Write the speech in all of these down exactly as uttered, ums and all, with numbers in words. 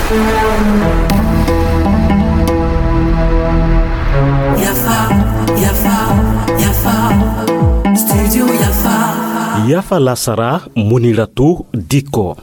Yafa, yafa, yafa. Studio yafa. Yafa lasara, Muniratu Dikko.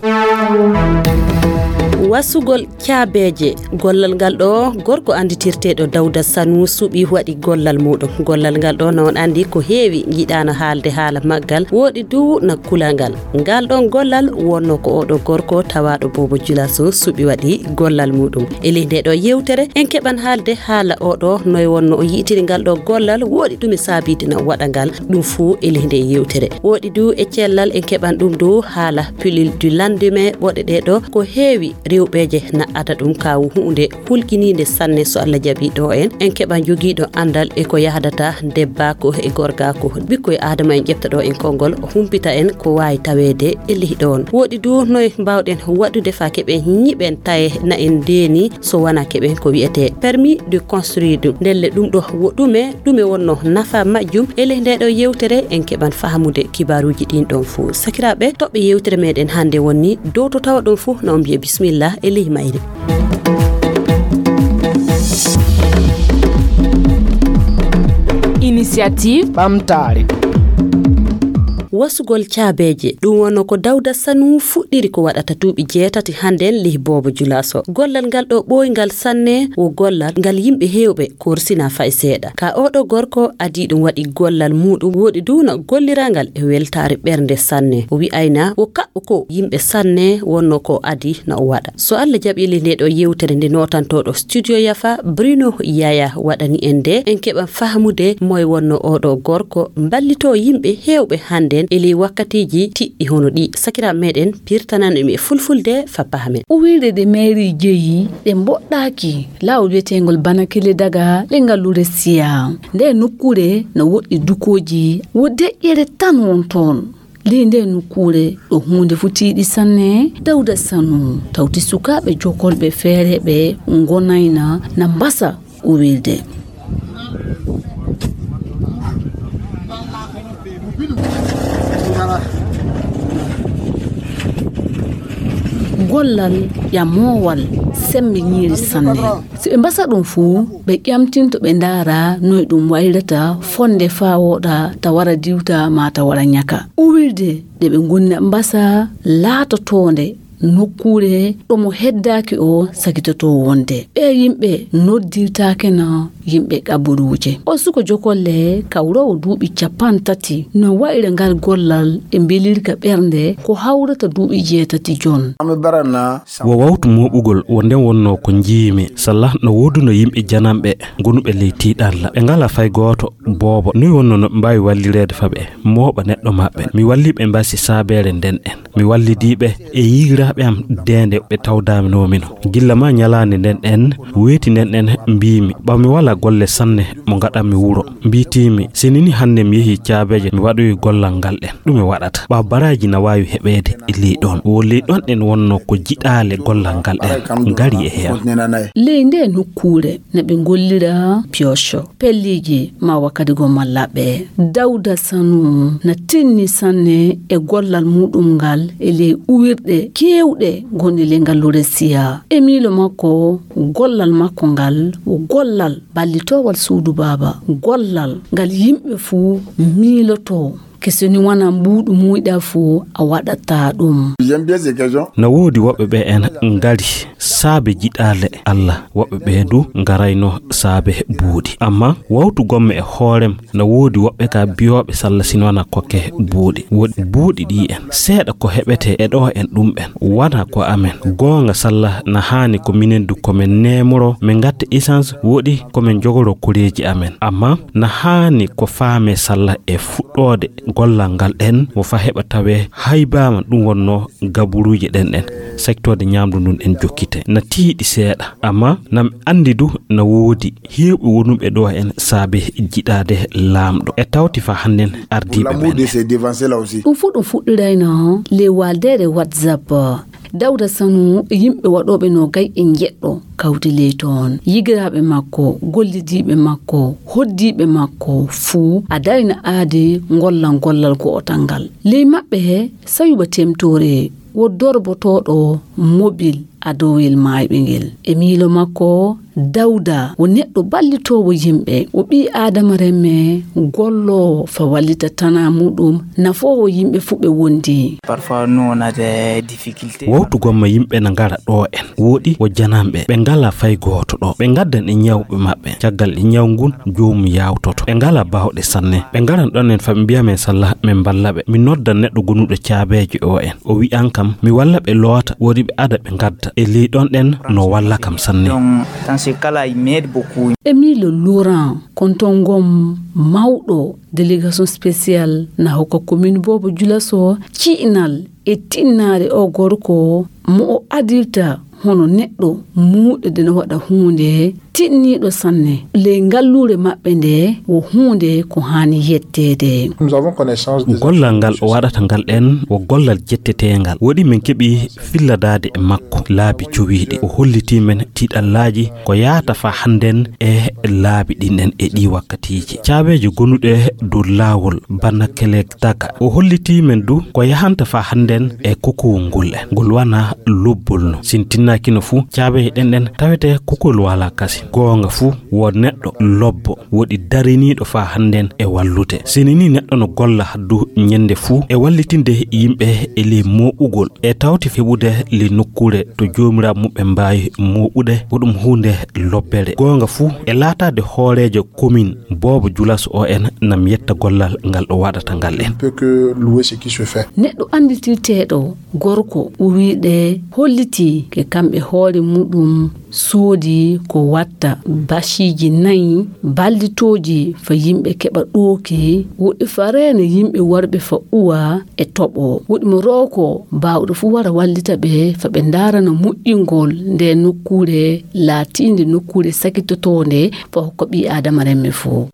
Wasugol caabeeje. Gollal ngal ɗo gorko annditirteeɗo Dawda Sanu suɓi waɗi gollal muɗum. Gollal ngal ɗo, no on anndi, ko heewi njiɗaano haalde haala maggal, woɗi du na kula ngal. Ngal ɗon gollal wonno ko oɗo gorko tawaaɗo Boobo Julaso suɓi waɗi gollal muɗum. E ley nde ɗo yewtere, en keɓan haalde haala oɗo, noy wonno o yi'itiri ngal ɗo gollal, woɗi ɗum e saabiide na waɗa ngal, ɗum fuu e ley nde yewtere. Woɗi du e cellal, en keɓan ɗum du haala pilule du lendemain, ɓoɗe ɗe ɗo ko heewi rewɓeeje na ada ɗum, ka huunde hulkiniinde sanne. So Allah jaɓi ɗo en, en keɓan jogiiɗo anndal e ko yahdata debbaako e gorgaako. Ɓikkoy Aadama en ƴefta ɗo en konngol, humpita en ko waawi taweede e ley ɗoon. Woɗi du noy mbaawɗen waɗude faa keɓen nyiɓen taye na en ndeeni so wanaa keɓen ko wiyetee permis de construire ɗum. Ndelle ɗum ɗo wo ɗume, ɗume wonno nafa majjum? E ley nde ɗo yewtere en keɓan fahamude kibaaruuji ɗin ɗon fuu. Sakiraaɓe, toɓɓe yewtere meɗen hannde wonni dow to tawa ɗon fuu, na on mbiye bismillah e ley mayre. Initiative ɓamtaare. Wasugol caabeeje, ɗum wonno ko Dawda Sanu fuɗɗiri ko waɗata duuɓi jeetati hannden ley Boobo Julaso. Gollal ngal ɗo ɓooyngal sanne, wo gollal ngal yimɓe heewɓe korsina fay seeɗa. Ka oɗo gorko adii ɗum waɗi gollal muuɗum, woɗi du na gollirangal e weltaare ɓernde sanne. O wi'ayna wo kaɓɓo ko yimɓe sanne wonno ko adii na o waɗa. So Allah jaɓi ley nde ɗo yewtere nde nootantooɗo Studio Yafa, Bruno Yaya waɗani en nde, en keɓan fahamude moy wonno oɗo gorko mballitoo yimɓe heewɓe hannden e ley wakkatiiji tiɗɗi hono ɗi. Sakiraaɓe meɗen pirtanan en e fulfulde fa pahamen. Uwirɗe ɗe mairie jeyi ɗe mboɗɗaaki laawol wiyeteengol Banakile Daga le ngalluure Siya. Nde nokkuure no woɗɗi dukooji, wo deƴƴere tan won toon. Ley nde nokkuure ɗo huunde fuu tiiɗi sanne, Dawda Sanu tawti sukaaɓe jokolɓe feereeɓe ngonayna na mbasa uwirde. Gollal ƴamoowal sembe ñiiri sanne. Si ɓe mbasa ɗum fuu, ɓe ƴamtinto ɓe ndaara noy ɗum wayrata fonde faa wooɗa ta wara diwta maa ta wara ñaka. Uwirde nde ɓe ngonna mbasa laatotoonde nokkuure ɗo mo heddaaki o sakitotoo wonde. Ɓee yimɓe noddirtaake na yimɓe qaburuuje. O suko jokolle kawroowo duuɓi cappanɗe tati no wayra ngal gollal e mbelirka ɓernde ko hawrata duuɓi jeetati jon. Wo wawtu mooɓugol wo nden wonno ko njiimi. Salla no wooduno yimɓe jananɓe gonuɓe ley tiiɗalla. Ɓe ngalaa fay gooto boobo. Noy wonno no ɓe mbaawi wallireede fa ɓe mooɓa neɗɗo maɓɓe? Mi wallii ɓe mbasi saabeere nden en. Mi wallidii ɓe e yiigiraaɓe am de nde ɓe tawdaanoo mino. Gilla maa ñalaande nden en weeti nden en mbiimi, ɓaw mi walaa golle sanne mo ngaɗanmi wuro. Mbiitiimi, si ni ni hannde mi yehii caabeeje, mi waɗoyi gollal ngal ɗen. Ɗume waɗata? Ɓaw baraaji na waawi heɓeede e ley ɗon. Wo ley ɗon ɗen wonno ko jiɗaale gollal ngal ɗen ngari e heen. Ley nde nokkuure na ɓe ngollira pioche, pelliiji maa wakkati goo mallaaɓe. Dawda Sanu na tinni sanne e gollal muɗum ngal e ley uwirɗe keewɗe gonɗe ley ngalluure Siya. E miilo makko, gollal makko ngal wo gollal ballitoowal suudu baaba, gollal ngal yimɓe fuu miilotoo. Ke so ni wona mbuuɗu muuyɗaa fuu a waɗataa ɗum. Na woodi woɓɓe ɓe en ngari saabe jiɗaale Allah, woɓɓe ɓe du ngarayno saabe buuɗi. Amma wawtu gomme e hoorem, na woodi woɓɓe ka biyooɓe salla si wona kokke buuɗi. Woodi buuɗi ɗi en, seeɗa ko heɓete e ɗo en ɗum ɓen. Wona ko amen. Goonga salla na haani ko minen du ko men neemoro, men ngatta essence, woɗi ko men jogoro koreeji amen. Amma na haani ko faame salla e fuɗɗoode gollal ngal ɗen, wo fa heɓa tawe haybaama ɗum wonno gaburuuje ɗen ɗen, sektoode ñaamdu ndun en jokkite. Na tiiɗi seeɗa, amma na mi anndi du na woodi heewɓe wonuɓe ɗo en saabe jiɗaade laamɗo. E tawti fa hannden ardiiɓe men ɗen. Ɗum fuu ɗum fuɗɗirayno ley waaldeere WhatsApp. Dawda Sanu e yimɓe waɗooɓe noogay e njeɗɗo kawti ley toon. Yigiraaɓe makko, gollidiiɓe makko, hoddiiɓe makko fuu a darina aadi ngollal gollal go'otal ngal. Ley maɓɓe Sayuba Temtoore Wo dorbotooɗo mobil adowel maayɓe ngel. E miilo makko, Dawda wo neɗɗo ballitoowo yimɓe, wo ɓii Aadama remme golloowo fa wallita tanaa muɗum, nafoowo yimɓe fuu ɓe wondi. Parfois, nous, on a des difficultés. Wowtu gomma yimɓe na ngara ɗo en, woɗi wo jananɓe, ɓe ngala fay gooto ɗo. Ɓe ngaddan e ñawɓe maɓɓe, caggal e ñaw ngun joomum yawtoto. Ɓe ngala baawɗe sanne. Ɓe ngaran ɗon en fa ɓe mbiya men salla, men mballa ɓe. Mi noddan neɗɗo gonuɗo caabeejo o en. O wi'an kam, mi walla ɓe loota, woodi ɓe ada ɓe ngadda. E ley ɗon ɗen no walla kam sanne. Donc, dans ce cas-là, il m'aide beaucoup. Emile Laurent, kontongon mawɗo délégation spéciale na hokka commune Bobo Dioulasso ci'inal e tinnaare o gorko mo o adirta hono neɗɗo muuɗo de no waɗa huunde tinniiɗo sanne. Ley ngalluure maɓɓe nde wo huunde ko haani yetteede. Nous avons connaissance des... Gollal ngal o waɗata ngal ɗen wo gollal jetteteengal. Woɗi men keɓi filladaade e makko laabi cowiiɗi. O hollitii men tiiɗallaaji ko yaata faa hannden e laabi ɗin ɗen e ɗii wakkatiiji. Caabeeje gonuɗe dow laawol bana kelek taka. O hollitii men du ko yahanta faa hannden e kokowol ngol en. Ngol wana lobbol no. Sin tinnaaki no fu, caabeeje ɗen ɗen tawete kokowol wala kasi. Goonga fu, wo neɗɗo lobbo, woɗi dariniiɗo faa hannden e wallude. Sini ni neɗɗo no golla haddu ñende fu e wallitinde yimɓe e ley mooɓugol. E tawti heɓude ley nokkuure to joomiraaɓe muɓɓen mbaawi mooɓude, wo ɗum huunde lobbere. Goonga fu, e laataade hooreejo komin Bobo Dioulasso o en nam yetta gollal ngal ɗo waɗata ngal en. On peut que louer ce qui se fait. Neɗɗo annditirteeɗo gorko o wi'de hollitii ke kamɓe hoore muɗum soodi ko watta basiiji nayi ballitooji fa yimɓe keɓa ɗooki, woɗi fa reena yimɓe warɓe fa uwa e toɓo. Woɗi mo rooko baawɗo fu wara wallita ɓe fa ɓe ndaarana moƴƴingol nde nokkuure laatiinde nokkuure sakitotoonde fa hokka ɓii Aadama remme fu.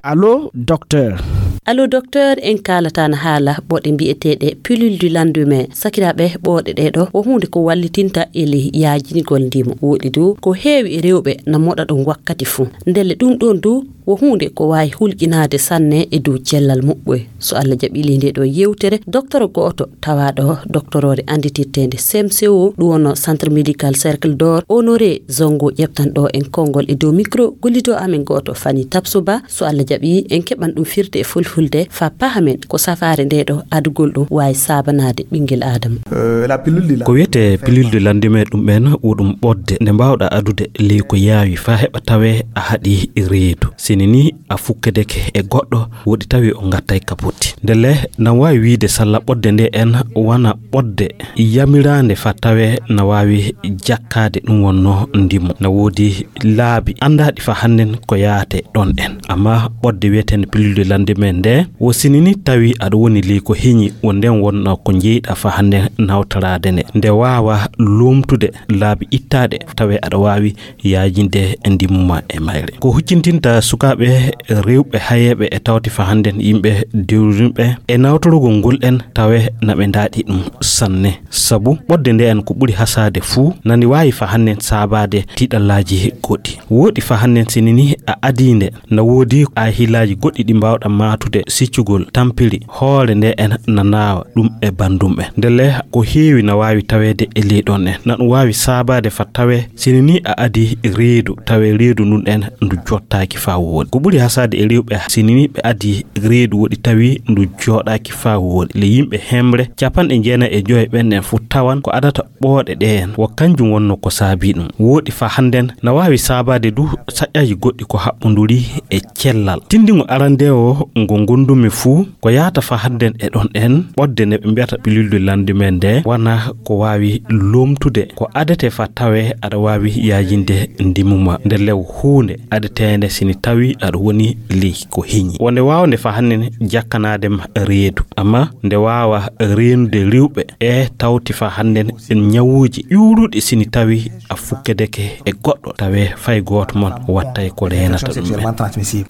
Allo, docteur. Allo, docteur, en kaalata na haala ɓoɗe mbi'eteeɗe pilule du lendemain. Sakiraaɓe, ɓoɗe ɗee ɗo wo huunde ko wallitinta e ley yaajingol ndimu. Woɗi du ko heewi e rewɓe na moɗa ɗum wakkati fuu. Ndelle ɗum ɗoon du wo huunde ko waawi hulƴinaade sanne e dow cellal muɓɓoy. So Allah jaɓii ley ndee ɗoo yewtere, docteur gooto tawaaɗo doctoroore annditirteende C M C O, ɗum wonno Centre Médical Cercle d'Or, Honoré Zongo, ƴeftan ɗo en konngol e dow micro gollidoo amen gooto Fani Tapsoba. So Allah jaɓii, en keɓan ɗum firde e fulfulde faa pahamen ko safaare ndee ɗo adugol ɗum waawi saabanaade ɓinngel Aadama. Euh, la pilule de la... Ko wiyetee pilule de lendemain ɗum en wo ɗum ɓodde nde mbaawɗa adude ley ko yaawi faa heɓa tawee a haɗi reedu. Sini ni a fukkedeke e goɗɗo woɗi tawi o ngattay ka potti. Ndelle nan waawi wiide salla ɓodde nde en wana ɓodde yamiraande faa tawee na waawi jakkaade ɗum wonno ndimu. Na woodi laabi anndaaɗi faa hannden ko yaate ɗon en. Amma ɓodde wiyeteende pilule de lendemain nde wo sini ni tawi aɗa woni ley ko heñi wo nden wonno ko jeyɗa faa hannden nawtoraade nde. Nde waawa loomtude laabi ittaaɗe tawee aɗa waawi yaajinde e ndimu ma e mayre. Ko huccintinta sukaaɓe rewɓe hayeeɓe e tawti faa hannden yimɓe dewrinɓe e nawtorugol ngol en tawee na ɓe ndaaɗi ɗum sanne. Sabu ɓodde nde en ko ɓuri hasaade fuu nani waawi faa hannden saabaade tiiɗallaaji goɗɗi. Woɗi faa hannden sini ni a adii nde na woodi ahilaaji goɗɗi ɗi mbaawɗa maatude siccugol tampiri hoore nde en na naawa ɗum e banndum ɓe. Ndelle ko heewi na waawi taweede e ley ɗon en. Na ɗum waawi saabaade faa tawee sini ni a adii reedu tawee reedu ndun en ndu jottaaki faa wooɗi. Ko ɓuri hasaade e rewɓe sini ni ɓe adii reedu woɗi tawi ndu jooɗaaki faa wooɗi. Le yimɓe hemre capanɗe jeenayi e joy ɓen en fuu tawan ko adata ɓooɗe ɗe en wo kanjum wonno ko saabii ɗum. Woɗi faa hannden na waawi saabaade du saƴƴaaji goɗɗi ko haɓɓonduri e cellal. Tinndingo arandeewo ngo ngonndumi fuu ko yaata faa hannden e ɗon en ɓodde nde ɓe mbiyata pilule de lendemain nde wana ko waawi loomtude ko adetee faa tawee aɗa waawi yaajinde ndimu ma. Nde lew huunde adeteende sini tawi aɗa woni ley ko heñi. Wonde waawnde faa hannden jakkanaade ma reedu. Amma nde waawa reenude rewɓe e tawti faa hannden ñawuuji ƴuuruɗi sini tawi a fukkedeke e goɗɗo tawee fay gooto mon wattay ko reenata ɗum en.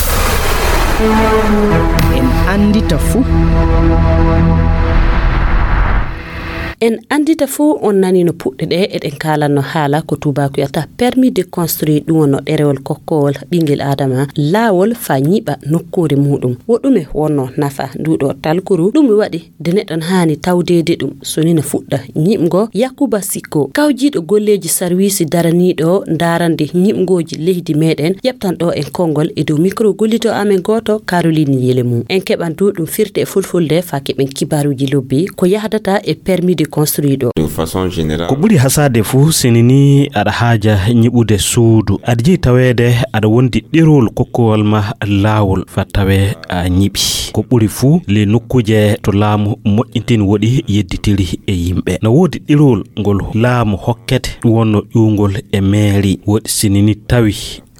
En anndita fuu. En anndita fof, on nani no puɗɗe ɗe eɗen kaalanno haala ko tuubaaku wiyata permis de construire, ɗum wonno ɗerewol kokkowol ɓinngel Aadama laawol faa ñiɓa nokkuure muuɗum. Wo ɗume wonno nafa nduuɗo talkuru? Ɗum waɗi de neɗɗo haani tawdeede ɗum so ni no fuɗɗa ñiɓgo. Yakuba Sikko, kawjiiɗo golleeji sarwiisi daraniiɗo ndaarande ñiɓngooji leydi meɗen, ƴeɓtan ɗo en konngol e dow mikro gollito amen gooto, Caroline Yelemu. En keɓan du ɗum firte e fulfulde faa keɓen kibaaruuji lobbi ko yahdata e permis de construire ɗo. De façon générale. Ko ɓuri hasaade fuu, sini ni aɗa haaja ñiɓude suudu, aɗa jeyi taweede aɗa wondi ɗerowol kokkowol ma laawol faa tawee a ñiɓi. Ko ɓuri fuu, ley nokkuuje to laamu moƴƴintini woɗi yedditiri e yimɓe. Na woodi ɗerowol ngol laamu hokkete, ɗum wonno ƴuwngol e meeri. Woɗi sini ni tawi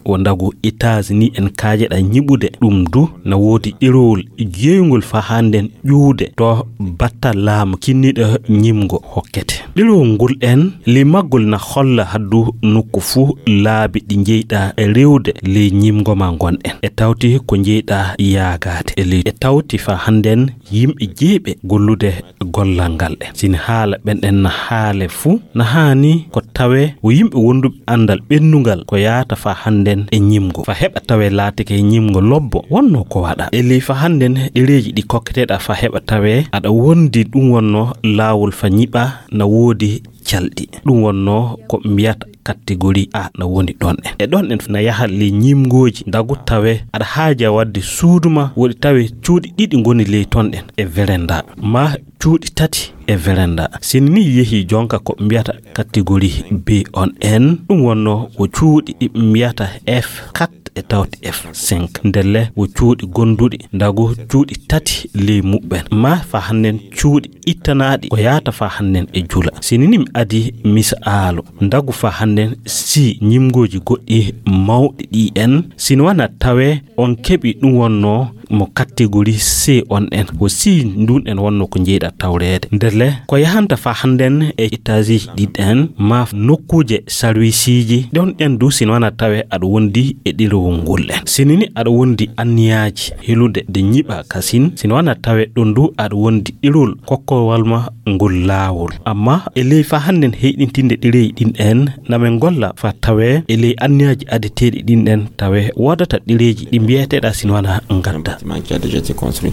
wo ndagu États-Unis en kaajeɗa ñiɓude, ɗum du na woodi ɗerowol jeyngol faa hannden ƴuwde to batta laamu kinniɗo ñiɓngo hokkete. Ɗerowol ngol en, ley maggol na holla haddu nokku fuu laabi ɗi njeyɗa rewde ley ñiɓngo ma ngonɗen. E tawti ko njeyɗa yaagaade e ley. E tawti faa hannden yimɓe jeyɓe gollude gollal ngal ɗen. Sini haala ɓen ɗen na haale fuu, na haani ko tawee wo yimɓe wonduɓe anndal ɓennungal ko yaata faa hannden e ñiɓngo. Faa heɓa tawee laatike ñiɓngo lobbo wonno ko waɗa. E ley faa hannden ɗereeji ɗi kokketeɗa faa heɓa tawee aɗa wondi ɗum wonno laawol faa ñiɓa na woodi calɗi. Ɗum wonno ko mbiyata catégorie A na woni ɗon en. E ɗon en na yaha ley ñiɓngooji ndagu tawee aɗa haaja waɗde suudu ma woɗi tawee cuuɗi ɗiɗi ngoni ley ton ɗen e véranda. Ma cuuɗi tati e véranda. Sini ni yehi jonka ko mbiyata catégorie B on en, ɗum wonno wo cuuɗi ɗi mbiyata F quatre e tawti F cinq. Ndelle wo cuuɗi gonduɗi ndagu cuuɗi tati ley muɓɓen. Ma faa hannden cuuɗi ittanaaɗi ko yaata faa hannden e jula. Sini ni mi adi misaalu ndagu faa hannden si ñiɓngooji goɗɗi mawɗi ɗi en, sini wana tawee on keɓi ɗum wonno mo catégorie C on en, wo si ndun en wonno ko njeyɗa tawreede. Ndelle ko yahanta faa hannden e étage ɗin en, ma nokkuuje sarwisiiji ɗon en du, sino wana tawe aɗa wondi e ɗerewol ngol en. Sini ni aɗa wondi anniyaaji helude de ñiɓa kasin, sino wana tawe ɗon du aɗa wondi ɗerewol kokkowal ma ngol laawol. Amma e ley faa hannden heyɗintinde ɗereeji ɗin en, na men ngolla faa tawee e ley anniyaaji adeteeɗi ɗin ɗen tawee woodata ɗereeji ɗi mbiyeteeɗa sino wana ngadda. Bâtiment qui a déjà été construit.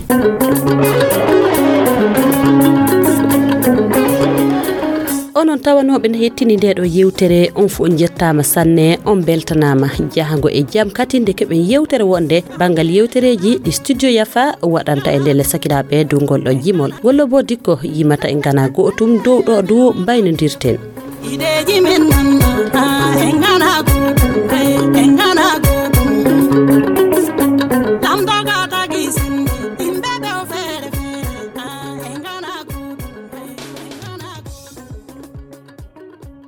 Onon tawanooɓe ne hettini nde ɗo yewtere, on fof on njettaama sanne, on mbeltanaama. Jahango e jam katinde keɓen yewtere wonde banngal yewtereeji ɗi Studio Yafa waɗanta e ndelle sakiraaɓe dow ngol ɗo jimol. Wollo bo dikko yimata e ngana go'otum dow ɗo du mbaynodirten. Ideeji men nan, ah, en ngana go'otum.